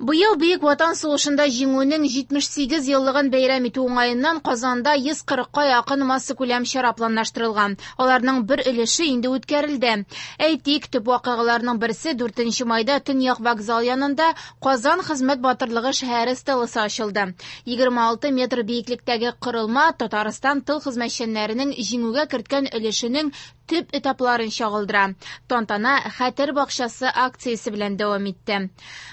Быел Бөек Ватан сугышында Җиңүнең 78 еллыгын бәйрәм итү уңаеннан Казанда 140-ка якын массакүләм чара планлаштырылган. Аларның бер өлеше инде үткәрелде. Әйтик, төп вакыйгаларның берсе 4 майда Төньяк вокзал янында Казан хезмәт батырлыгы шәһәре стеласы ачылды. 26 метр биеклектәге корылма Татарстан тыл хезмәтчәннәренең җиңүгә керткән өлешенең төп этапларын чагылдыра. Тантана Хәтер бакчасы акциясе белән дәвам итте.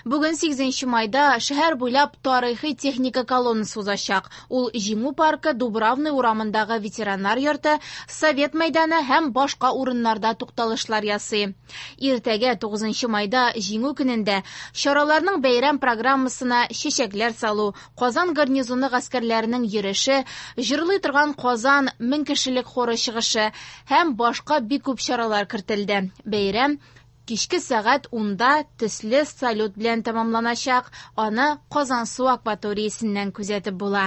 Бүген 8 майда шәһәр буйлап тарихи техника колоннасы узачак. Ул Җиңү паркы, Дубравный урамындагы ветераннар йорты, Совет мәйданы һәм башка урыннарда тукталышлар ясый. Иртәгә 9 майда Җиңү көнендә чараларның бәйрәм программасына чәчәкләр салу, Казан гарнизоны гаскәрләренең йөреше, җырлый торган Казан 1000 кешелек хоры чыгышы һәм башка бик күп чаралар кертелде. Бәйрәм кичке сәгать 10-да төсле салют белән тәмамланачак. Аны Казансу акваториясеннән күзәтеп була.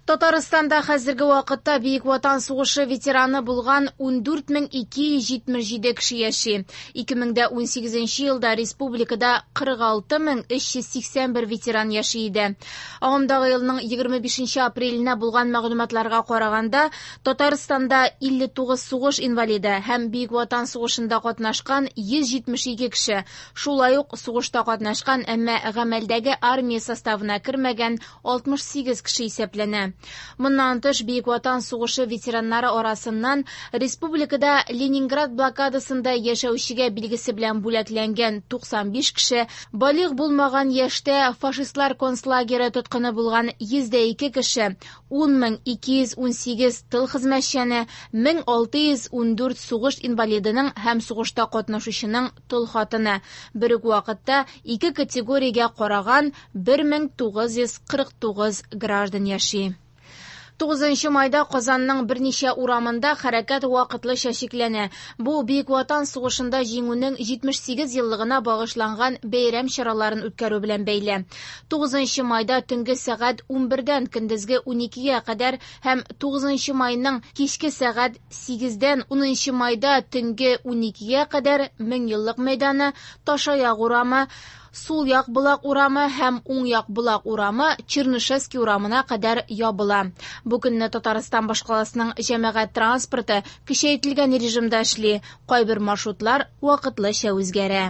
Татарстанда хәзерге вакытта Бөек Ватан сугышы ветераны булган 14277 кеше яши. 2018 елда республикада 46381 ветеран яши иде. Агымдагы елның 25 апреленә булган мәгълүматларга караганда, Татарстанда 59 сугыш инвалиды һәм Бөек Ватан сугышында катнашкан 172 кеше, шулай ук сугышта катнашкан, әмма гамәлдәге армия составына кермәгән 68 кеше исәпләнә. Моннан тыш, Бөек Ватан сугышы ветераннары арасыннан республикада Ленинград блокадасында яшәүчегә билгесе белән бүләкләнгән 95 кеше, балигъ булмаган яшьтә фашистлар концлагере тоткыны булган 102 кеше, 10218 тыл хезмәтчәне, 1614 сугыш инвалидының һәм сугышта катнашучының тол хатыны. Бер үк вакытта ике категориягә караган 1949 граждан яши. 9 майда Казанның берничә урамында хәрәкәт вакытлыча чикләнә. Бу Бөек Ватан сугышында Җиңүнең 78 еллыгына багышланган бәйрәм чараларын үткәрү белән бәйле. 9 майда төнге сәгать 11-дән көндезге 12-гә кадәр һәм 9 майның кичке сәгать 8-дән 10 майда төнге 12-гә кадәр Меңьеллык мәйданы, Ташаяк урамы, Сул як Болак урамы һәм Уң як Болак урамы Чернышевский урамына кадәр ябыла. Бу көнне Татарстан башкаласының җәмәгать транспорты көчәйтелгән режимда эшли. Кайбер маршрутлар вакытлыча үзгәрә.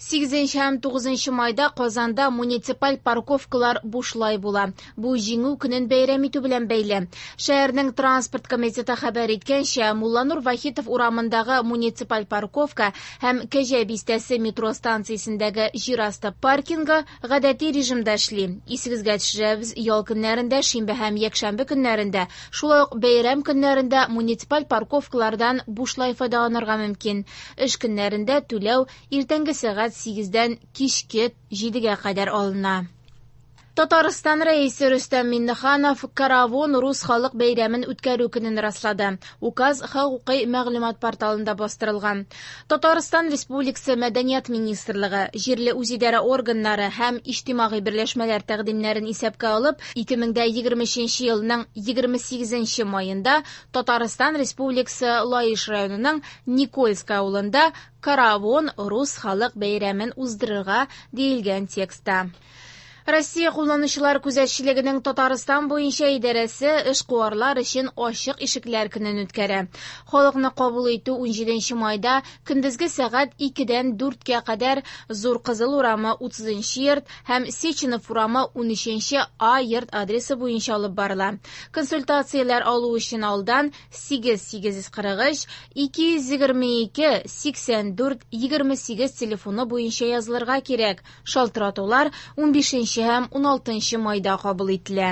8 һәм 9 майда Казанда муниципаль парковкалар бушлай була. Бу Җиңү көнен бәйрәм итү белән бәйле. Шәһәрнең транспорт комитеты хәбәр иткәнчә, Мулланур Вахитов урамындагы муниципаль парковка һәм Кәҗә бистәсе метро станциясендәге җир асты паркингы гадәти режимда эшли. Исегезгә төшерәбез, ял көннәрендә, шимбә һәм якшәмбе көннәрендә, шулай ук бәйрәм көннәрендә муниципаль парковкалардан бушлай файдаланырга мөмкин. Эш көннәрендә түләү иртәнге сәгать 8-дән кичке 7-гә кадәр алына. Татарстан Рәисе Рөстәм Миңнеханов Каравон рус халык бәйрәмен үткәрү көнен раслады. Указ хокукый мәгълүмат порталында бастырылган. Татарстан Республикасы Мәдәният министрлыгы, җирле үзидарә органнары һәм иҗтимагый берләшмәләр тәкъдимнәрен исәпкә алып, 2023 елның 28 маенда Татарстан Республикасы Лаеш районының Никольское авылында Каравон рус халык бәйрәмен уздырырга диелгән текстта. Россия кулланучылар күзәтчелегенең Татарстан буенча идарәсе эшкуарлар өчен ачык ишекләр көнен үткәрә. Халыкны кабул итү 17 майда көндезге сәгать 2-дән 4-кә кадәр Зур Кызыл урамы 30 йорт һәм Сеченов урамы 13 А йорт адресы буенча алып барыла. Консультацияләр алу өчен алдан 8 843 222 84 28 телефоны буенча язылырга кирәк. Шалтыратулар 15 һәм 16 майда кабул ителә.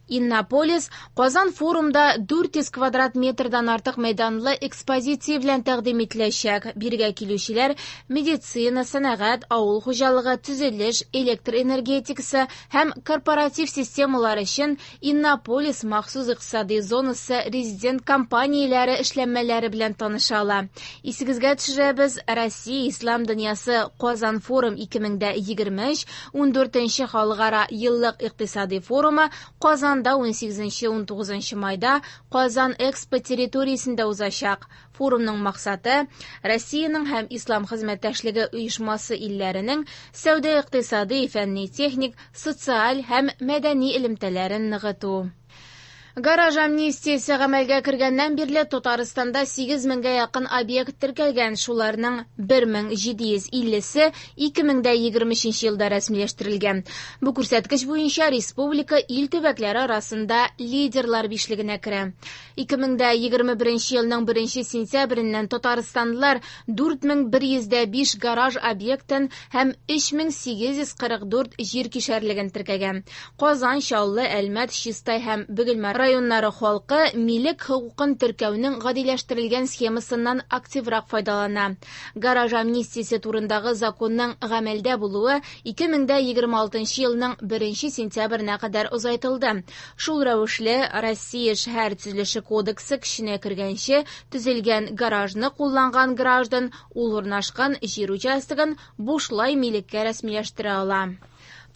Иннополис Казан форумда 400 квадрат метрдан артык мәйданлы экспозиция белән тәкъдим ителәчәк. Бирегә килүчеләр медицина, сәнәгать, авыл хуҗалыгы, төзелеш, электр энергетикасы һәм корпоратив системалар өчен Иннополис махсус икътисади зонасы резидент компанияләре эшләнмәләре белән таныша ала. Исегезгә төшерәбез, Россия Ислам дөньясы Казан форум 2023 14 халыкара еллык икътисади форумы Казан Казанда 18-19 майда Казан Экспо территориясендә узачак. Форумның максаты Россиянең һәм Ислам хезмәттәшлеге оешмасы илләренең сәүдә-икътисади, фәнни-техник, социаль һәм мәдәни элемтәләрен ныгыту. Гараж амнистиясе гамәлгә кергәннән бирле Татарстанда 8 меңгә якын объект теркәлгән, шуларның 1750-се 2023 елда рәсмиләштерелгән. Бу күрсәткеч буенча республика ил төбәкләре арасында лидерлар бишлегенә керә. 2021 елның 1 сентябреннән татарстанлылар 4105 гараж объектын һәм 3844 җир кишәрлеген теркәгән. Казан, Чаллы, Әлмәт, Чистай һәм Бөгелмә районнары халкы милек хокукын теркәүнең гадиләштерелгән схемасыннан активрак файдалана. Гараж амнистиясе турындагы законның гамәлдә булуы 2026 елның 1 сентябренә кадәр озайтылды. Шул рәвешле Россия шәһәр төзелеше кодексы көченә кергәнче төзелгән гаражны кулланган граждан ул урнашкан җир участогын бушлай милеккә рәсмиләштерә ала.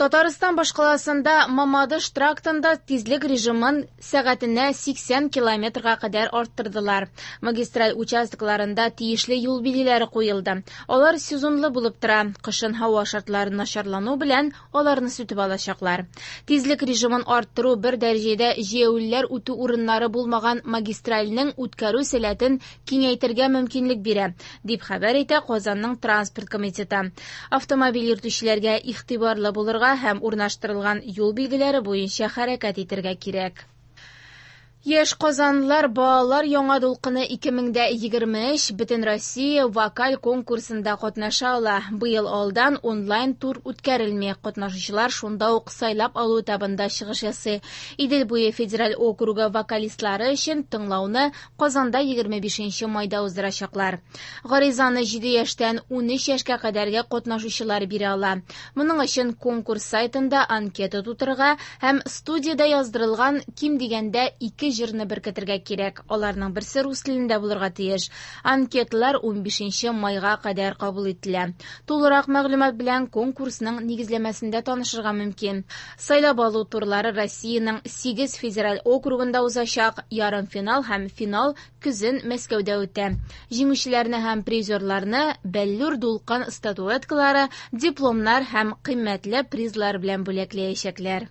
Татарстан башкаласында Мамадыш трактында тизлек режимын сәгатенә 80 километрга кадәр арттырдылар. Магистраль участокларында тиешле юл билгеләре куелды. Алар сезонлы булып тора. Кышын һава шартлары начарлану белән аларны сүтеп алачаклар. Тизлек режимын арттыру бер дәрәҗәдә җәяүлеләр үтү урыннары булмаган магистральнең үткәрү сәләтен киңәйтергә мөмкинлек бирә, дип хәбәр итә Казанның транспорт комитеты. Автомобиль йөртүчеләргә игътибарлы булырга һәм урнаштырылган юл билгеләре буенча хәрәкәт итәргә кирәк. Яшь казанлылар балалар яңа дулкыны 2023 Бөтенроссия вокаль конкурсында катнаша ала. Быел алдан онлайн тур үткәрелми. Катнашучылар шунда ук сайлап алу этабында чыгыш ясый. Идел буе федераль округы вокалистлары өчен тыңлауны Казанда 25 майда уздырачаклар. Гаризаны 7 яшьтән 13 яшькә кадәрге катнашучылар бирә ала. Моның өчен конкурс сайтында анкета тутырырга һәм студиядә яздырылган ким дигәндә 2 җырны беркетергә кирәк. Аларның берсе рус телендә булырга тиеш. Анкеталар 15 майга кадәр кабул ителә. Тулырак мәгълүмат белән конкурсның нигезләмәсендә танышырга мөмкин. Сайлап алу турлары Россиянең 8 федераль округында узачак. Ярымфинал һәм финал көзен Мәскәүдә үтә. Җиңүчеләрне һәм призерларны бәллүр дулкын статуэткалары, дипломнар һәм кыйммәтле призлар белән бүләкләячәкләр.